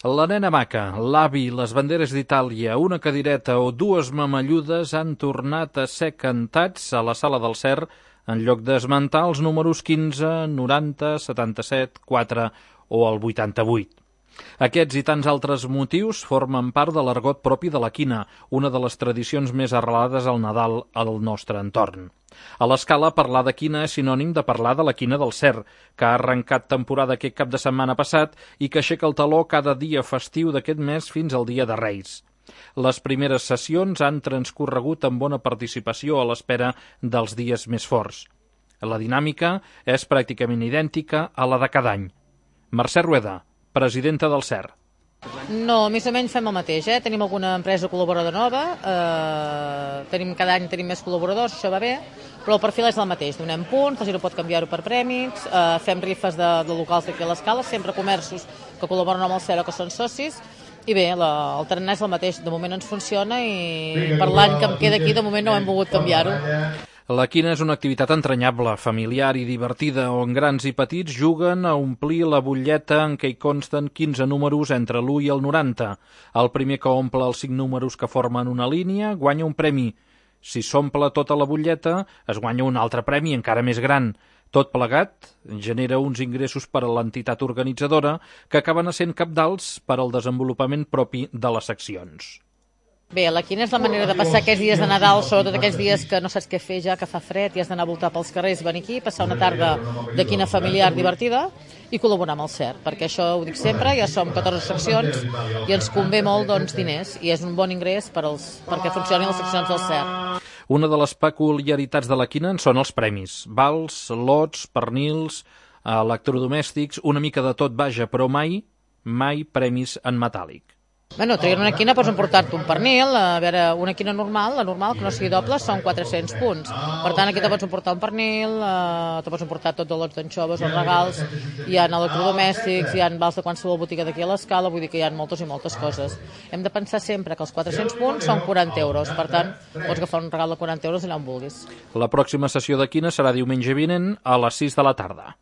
La nena maca, l'avi, les banderes d'Itàlia, una cadireta o dues mamalludes han tornat a ser cantats a la Sala del Cer en lloc d'esmentar els números 15, 90, 77, 4 o el 88. Aquests i tants altres motius formen part de l'argot propi de la quina, una de les tradicions més arrelades al Nadal al nostre entorn. A l'Escala, parlar de quina és sinònim de parlar de la quina del Cer, que ha arrencat temporada aquest cap de setmana passat i que aixeca el taló cada dia festiu d'aquest mes fins al dia de Reis. Les primeres sessions han transcorregut amb bona participació a l'espera dels dies més forts. La dinàmica és pràcticament idèntica a la de cada any. Mercè Rueda, presidenta del Cer. No, més o menys fem el mateix, Tenim alguna empresa col·laboradora nova, cada any tenim més col·laboradors, això va bé, però el perfil és el mateix, donem punts, la gent pot canviar-ho per prèmits, fem rifes de locals d'aquí a l'Escala, sempre comerços que col·laboren amb el Cer o que són socis, i bé, el tarannà és el mateix, de moment ens funciona i per l'any que em queda aquí de moment no hem volgut canviar-ho. La quina és una activitat entranyable, familiar i divertida, on grans i petits juguen a omplir la butlleta en què hi consten 15 números entre l'1 i el 90. El primer que omple els 5 números que formen una línia guanya un premi. Si s'omple tota la butlleta, es guanya un altre premi encara més gran. Tot plegat genera uns ingressos per a l'entitat organitzadora que acaben essent cabdals per al desenvolupament propi de les seccions. Bé, la quina és la manera de passar aquests dies de Nadal, sobretot aquests dies que no saps què fer ja, que fa fred i has d'anar a voltar pels carrers i venir aquí, passar una tarda de quina familiar divertida i col·laborar amb el Cer, perquè això ho dic sempre, ja som 14 seccions i ens convé molt diners i és un bon ingrés perquè funcionin les seccions del Cer. Una de les peculiaritats de la quina són els premis. Vals, lots, pernils, electrodomèstics, una mica de tot, vaja, però mai premis en metàl·lic. Bueno, traient una quina pots emportar-te un pernil, una quina normal, la normal, que no sigui doble, són 400 punts. Per tant, aquí te pots emportar un pernil, te pots emportar tots els lots d'anxoves, els regals, hi ha electrodomèstics, hi ha vals de qualsevol botiga d'aquí a l'Escala, vull dir que hi ha moltes i moltes coses. Hem de pensar sempre que els 400 punts són 40 euros, per tant, pots agafar un regal de 40 euros allà on vulguis. La pròxima sessió de quina serà diumenge vinent a les 6 de la tarda.